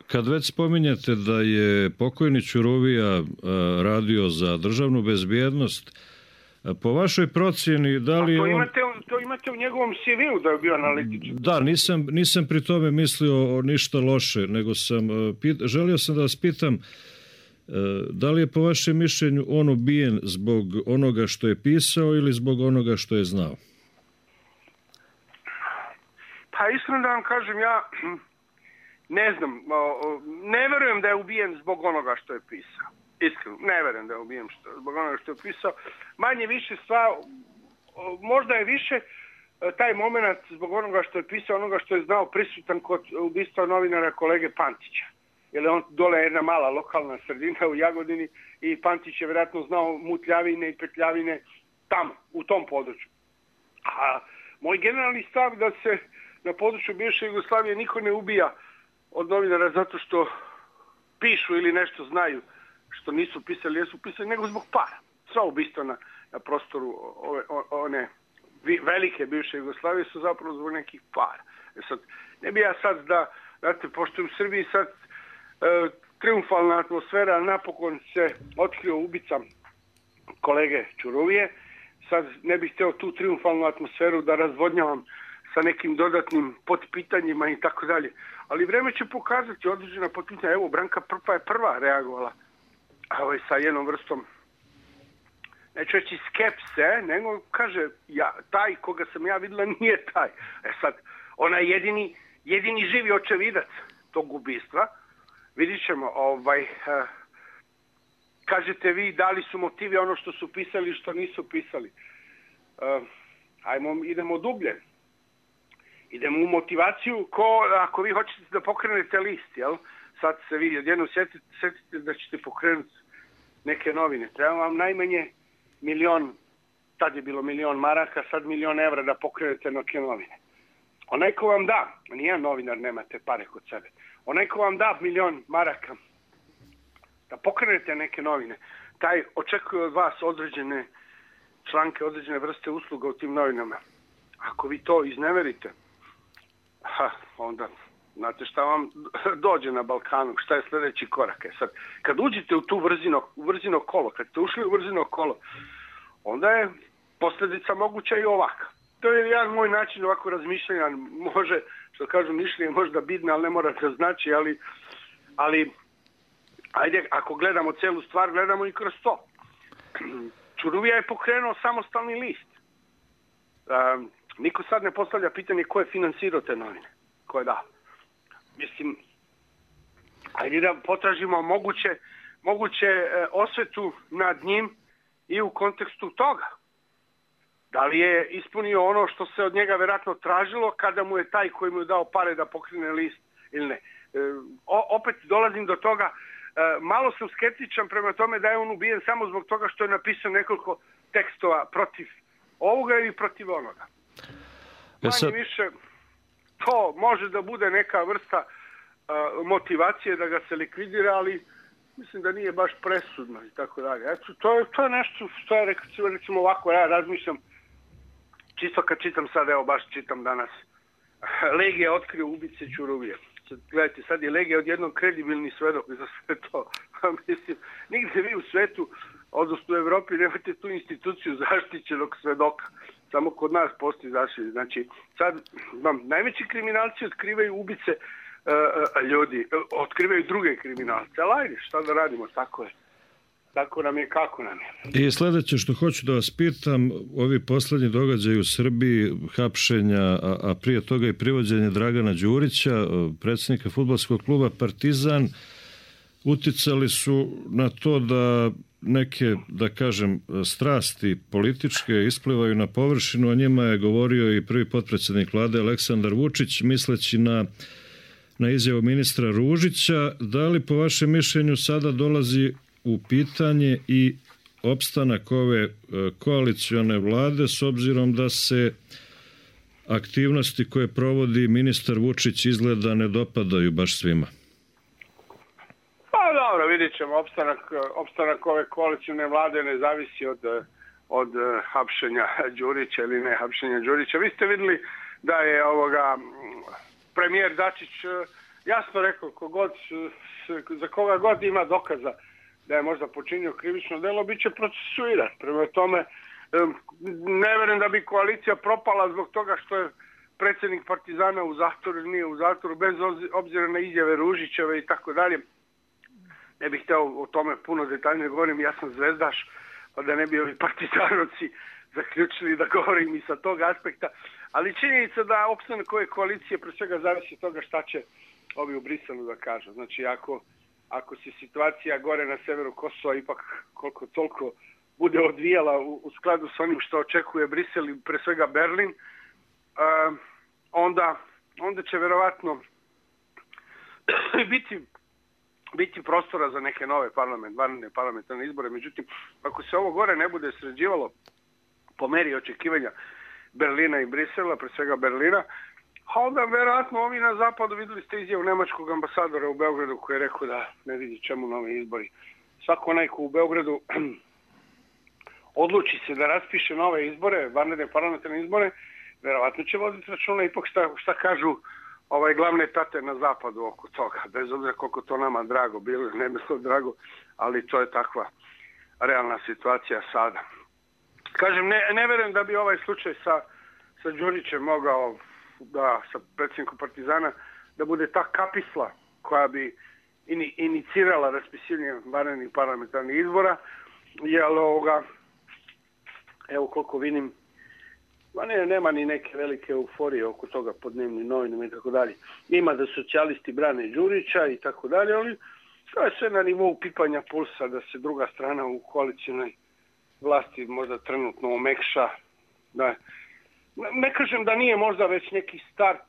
kad već spominjete da je pokojni Čuruvija radio za državnu bezbjednost, po vašoj procjeni, da li to on... imate, to imate u njegovom ce ve-u da je bio analitičar. Da, nisam, nisam pri tome mislio o ništa loše, nego sam, pit, želio sam da vas pitam, da li je po vašem mišljenju on ubijen zbog onoga što je pisao ili zbog onoga što je znao? Pa iskreno da vam kažem, ja ne znam, ne verujem da je ubijen zbog onoga što je pisao. Iskreno, ne verujem da je ubijen što, zbog onoga što je pisao. Manje više stvar, možda je više taj moment zbog onoga što je pisao, onoga što je znao prisutan kod ubistva novinara kolege Pantića. Jer je on dole jedna mala lokalna sredina u Jagodini i Pantić je vjerojatno znao mutljavine i petljavine tamo, u tom području. A moj generalni stav da se na području bivše Jugoslavije niko ne ubija od novinara zato što pišu ili nešto znaju što nisu pisali, jesu pisali, nego zbog para. Sva ubistva na, na prostoru ove, one velike bivše Jugoslavije su zapravo zbog nekih para. E sad, ne bi ja sad da, znate, pošto u Srbiji sad e, triumfalna atmosfera, napokon se otkrio ubica kolege Čuruvije, sad ne bih htio tu triumfalnu atmosferu da razvodnjavam sa nekim dodatnim potpitanjima i tako dalje. Ali vreme će pokazati određena potpitanja. Evo, Branka Prpa je prva reagovala ovaj, sa jednom vrstom, neću reći skepse, nego kaže, ja, taj koga sam ja vidjela nije taj. E sad, ona je jedini, jedini živi očevidac tog ubistva. Vidit ćemo, ovaj, eh, kažete vi da li su motivi ono što su pisali i što nisu pisali. ajmo, idemo dublje. Idemo u motivaciju, ko, ako vi hoćete da pokrenete list, jel? Sad se vi jedno setite, setite da ćete pokrenuti neke novine. Treba vam najmanje milion, tad je bilo milion maraka, sad milion evra da pokrenete neke novine. Onaj ko vam da, nijedan novinar nema te pare kod sebe, onaj ko vam da milion maraka da pokrenete neke novine, taj očekuje od vas određene članke, određene vrste usluga u tim novinama. Ako vi to izneverite, ha, onda znate šta vam dođe na Balkanu, šta je sljedeći korak. E sad, kad uđete u tu vrzino, vrzino kolo, kad ste ušli u vrzino kolo, onda je posljedica moguća i ovaka. To je jedan moj način ovako razmišljanja, može, što kažu, mišljenje možda bitno, ali ne mora da znači, ali, ali ajde, ako gledamo celu stvar, gledamo i kroz to. Ćuruvija je pokrenuo samostalni list. Um, niko sad ne postavlja pitanje ko je finansirao te novine. Ko je dao. Mislim, ajde da potražimo moguće, moguće e, osvetu nad njim i u kontekstu toga. Da li je ispunio ono što se od njega vjerojatno tražilo kada mu je taj koji mu je dao pare da pokrene list ili ne. E, o, opet dolazim do toga, e, malo sam skeptičan prema tome da je on ubijen samo zbog toga što je napisao nekoliko tekstova protiv ovoga ili protiv onoga. Manje više, to može da bude neka vrsta uh, motivacije da ga se likvidira, ali mislim da nije baš presudno i tako dalje. Eto, to je, to je nešto što je, recimo ovako, ja razmišljam, čisto kad čitam sad, evo baš čitam danas, Legija otkrio ubice Ćuruvije. Sad, gledajte, sad je Legija odjednom kredibilni svedok za sve to. Mislim, nigde vi u svetu, odnosno u Evropi, nemate tu instituciju zaštićenog svedoka. Samo kod nas postoji zaštićen. Znači, sad, vam, najveći kriminalci otkrivaju ubice uh, uh, ljudi, uh, otkrivaju druge kriminalce. Ali ajde, šta da radimo, tako je. Tako nam je, kako nam je. I sljedeće što hoću da vas pitam, ovi poslednji događaji u Srbiji, hapšenja, a, a prije toga i privođenje Dragana Đurića, predsjednika fudbalskog kluba Partizan, uticali su na to da neke, da kažem, strasti političke isplivaju na površinu, o njima je govorio i prvi potpredsjednik vlade Aleksandar Vučić, misleći na, na izjavu ministra Ružića. Da li po vašem mišljenju sada dolazi u pitanje i opstanak ove koalicione vlade s obzirom da se aktivnosti koje provodi ministar Vučić izgleda ne dopadaju baš svima? Pa dobro, vidjet ćemo. Opstanak, opstanak ove koalicione vlade ne zavisi od, od hapšenja Đurića ili ne hapšenja Đurića. Vi ste vidjeli da je ovoga premijer Dačić jasno rekao, kogod, za koga god ima dokaza da je možda počinio krivično delo, bit će procesuiran. Prema tome, ne verujem da bi koalicija propala zbog toga što je predsjednik Partizana u zatvoru, nije u zatvoru, bez obzira na izjave Ružićeve i tako dalje. Ne bih htio o tome puno detaljnije govorim, ja sam zvezdaš, pa da ne bi ovi partizanovci zaključili da govorim i sa tog aspekta. Ali činjenica da opstanak ove koalicije pre svega zavisi od toga šta će ovi u Briselu da kažu. Znači, ako ako se situacija gore na severu Kosova ipak koliko toliko bude odvijala u, u skladu s onim što očekuje Brisel i pre svega Berlin, uh, onda, onda će verovatno biti, biti prostora za neke nove parlament, vanredne parlamentarne izbore. Međutim, ako se ovo gore ne bude sređivalo po meri očekivanja Berlina i Brisela, pre svega Berlina, a onda verovatno ovi na zapadu, vidjeli ste izjavu nemačkog ambasadora u Beogradu koji je rekao da ne vidi čemu novi izbori. Svako onaj ko u Beogradu odluči se da raspiše nove izbore, vanredne parlamentarne izbore, verovatno će voditi računa ipak šta, šta kažu ovaj glavne tate na zapadu oko toga. Bez obzira koliko to nama drago bilo, ne bilo drago, ali to je takva realna situacija sada. Kažem, ne, ne verujem da bi ovaj slučaj sa, sa Đurićem mogao da sa predsjednikom Partizana da bude ta kapisla koja bi ini, inicirala raspisivanje vanrednih parlamentarnih izbora, jer ovoga, evo koliko vidim, ne, nema ni neke velike euforije oko toga pod dnevnim novinama i tako dalje. Ima da socijalisti brane Đurića i tako dalje, ali to je sve na nivou pipanja pulsa da se druga strana u koalicijnoj vlasti možda trenutno omekša Da. Ne kažem da nije možda već neki start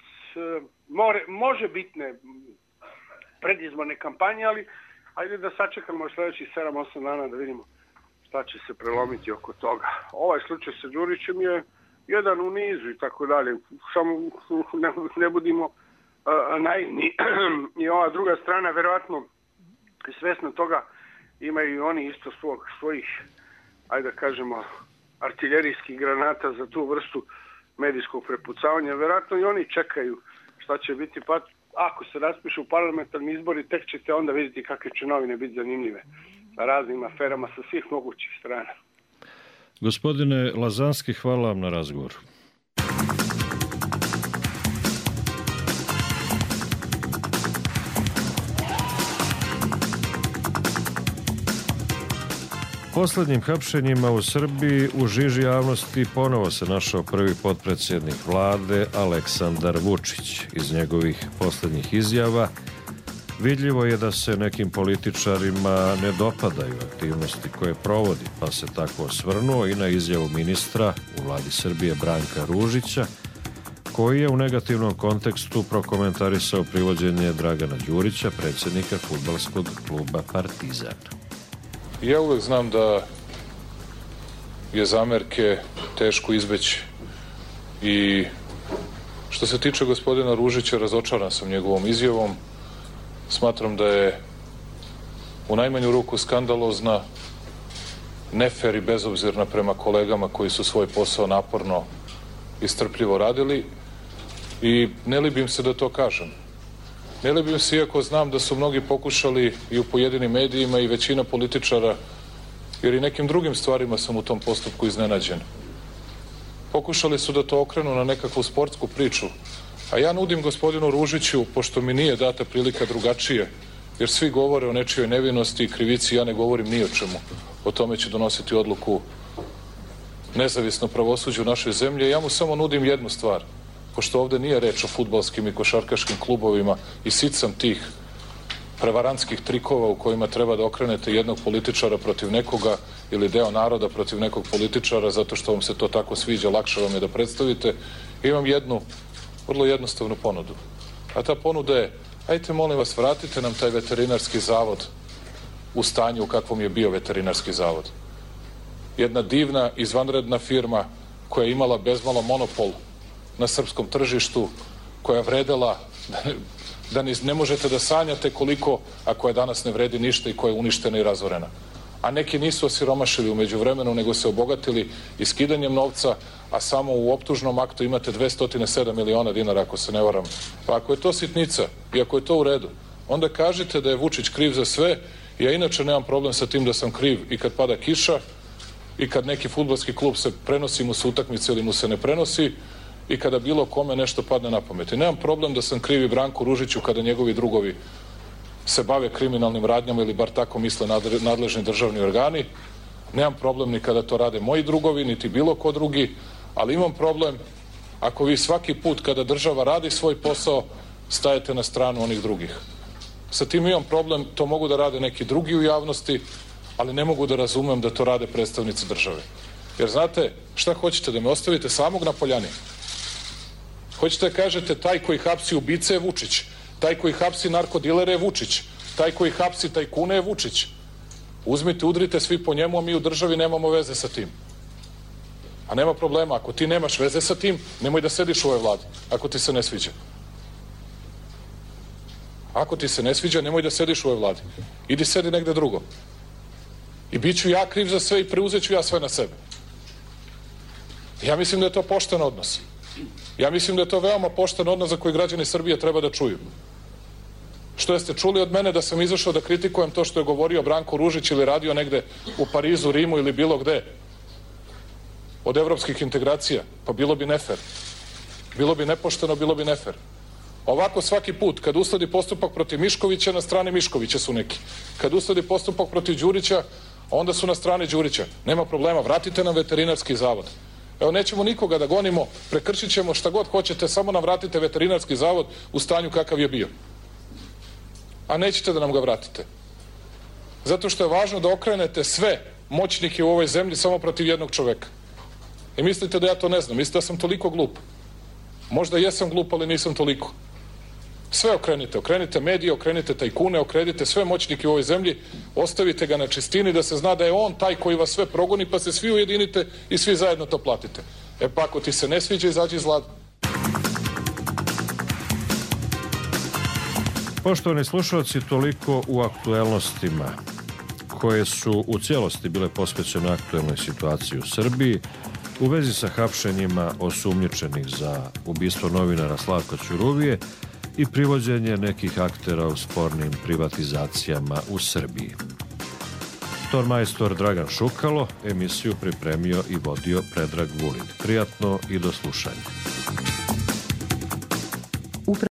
more, može bitne predizborne kampanje, ali ajde da sačekamo sljedećih sedam osam dana da vidimo šta će se prelomiti oko toga. Ovaj slučaj sa Đurićem je jedan u nizu i tako dalje. Samo ne, ne budimo uh, naivni. I ova druga strana verovatno svesna toga, imaju i oni isto svog, svojih, ajde da kažemo, artiljerijskih granata za tu vrstu medijskog prepucavanja. Verovatno i oni čekaju šta će biti, pa ako se raspišu parlamentarni izbori, tek ćete onda vidjeti kakve će novine biti zanimljive sa raznim aferama sa svih mogućih strana. Gospodine Lazanski, hvala vam na razgovoru. Posljednjim hapšenjima u Srbiji u žiži javnosti ponovo se našao prvi potpredsjednik vlade Aleksandar Vučić. Iz njegovih posljednjih izjava vidljivo je da se nekim političarima ne dopadaju aktivnosti koje provodi, pa se tako osvrnuo i na izjavu ministra u vladi Srbije Branka Ružića, koji je u negativnom kontekstu prokomentarisao privođenje Dragana Đurića, predsjednika fudbalskog kluba Partizan. Ja uvek znam da je zamerke teško izbeći i što se tiče gospodina Ružića, razočaran sam njegovom izjavom. Smatram da je u najmanju ruku skandalozna, nefer i bezobzirna prema kolegama koji su svoj posao naporno i strpljivo radili i ne libim se da to kažem. Ne libim se, iako znam da su mnogi pokušali i u pojedinim medijima i većina političara, jer i nekim drugim stvarima sam u tom postupku iznenađen. Pokušali su da to okrenu na nekakvu sportsku priču, a ja nudim gospodinu Ružiću, pošto mi nije data prilika drugačije, jer svi govore o nečijoj nevinosti i krivici, ja ne govorim ni o čemu. O tome će donositi odluku nezavisno pravosuđe u našoj zemlji. Ja mu samo nudim jednu stvar, pošto ovde nije reč o fudbalskim i košarkaškim klubovima i sicam tih prevarantskih trikova u kojima treba da okrenete jednog političara protiv nekoga ili deo naroda protiv nekog političara zato što vam se to tako sviđa, lakše vam je da predstavite. Imam jednu vrlo jednostavnu ponudu. A ta ponuda je, ajte molim vas, vratite nam taj veterinarski zavod u stanju u kakvom je bio veterinarski zavod. Jedna divna, izvanredna firma koja je imala bezmalo monopol na srpskom tržištu, koja vredela, da ne, da ne, ne možete da sanjate koliko, a koja danas ne vredi ništa i koja je uništena i razorena. A neki nisu osiromašili umeđu vremenu, nego se obogatili iskidanjem novca, a samo u optužnom aktu imate dvesta sedam miliona dinara, ako se ne varam. Pa ako je to sitnica i ako je to u redu, onda kažite da je Vučić kriv za sve. Ja inače nemam problem sa tim da sam kriv i kad pada kiša i kad neki fudbalski klub se prenosi mu se utakmice ili mu se ne prenosi i kada bilo kome nešto padne na pamet. I nemam problem da sam krivi Branku Ružiću kada njegovi drugovi se bave kriminalnim radnjama ili bar tako misle nadležni državni organi. Nemam problem ni kada to rade moji drugovi, niti bilo ko drugi, ali imam problem ako vi svaki put kada država radi svoj posao stajete na stranu onih drugih. Sa tim imam problem, to mogu da rade neki drugi u javnosti, ali ne mogu da razumem da to rade predstavnici države. Jer znate, šta hoćete, da me ostavite samog na poljani? Hoćete da kažete taj koji hapsi ubice je Vučić, taj koji hapsi narkodilere je Vučić, taj koji hapsi tajkune je Vučić. Uzmite, udrite svi po njemu, a mi u državi nemamo veze sa tim. A nema problema, ako ti nemaš veze sa tim, nemoj da sediš u ovoj vladi, ako ti se ne sviđa. Ako ti se ne sviđa, nemoj da sediš u ovoj vladi. Idi sedi negde drugo. I bit ću ja kriv za sve i preuzet ću ja sve na sebe. Ja mislim da je to pošten odnos. Ja mislim da je to veoma pošten odnos za koji građani Srbije treba da čuju. Što jeste čuli od mene da sam izašao da kritikujem to što je govorio Branko Ružić ili radio negde u Parizu, Rimu ili bilo gde od evropskih integracija? Pa bilo bi nefer. Bilo bi nepošteno, bilo bi nefer. Ovako svaki put, kad usledi postupak protiv Miškovića, na strani Miškovića su neki. Kad usledi postupak protiv Đurića, onda su na strani Đurića. Nema problema, vratite nam veterinarski zavod. Evo, nećemo nikoga da gonimo, prekršit ćemo šta god hoćete, samo nam vratite veterinarski zavod u stanju kakav je bio. A nećete da nam ga vratite. Zato što je važno da okrenete sve moćnike u ovoj zemlji samo protiv jednog čoveka. I mislite da ja to ne znam, mislite da sam toliko glup. Možda jesam glup, ali nisam toliko. Sve okrenite, okrenite medije, okrenite tajkune, okrenite sve moćnike u ovoj zemlji, ostavite ga na čistini da se zna da je on taj koji vas sve progoni, pa se svi ujedinite i svi zajedno to platite. E pa ako ti se ne sviđa, izađi iz vlade. Poštovani slušalci, toliko u aktuelnostima koje su u cijelosti bile posvećene aktuelnoj situaciji u Srbiji u vezi sa hapšenjima osumnjičenih za ubistvo novinara Slavka Ćuruvije i privođenje nekih aktera u spornim privatizacijama u Srbiji. Tormajstor Dragan Šukalo emisiju pripremio i vodio Predrag Vulin. Prijatno i do slušanja.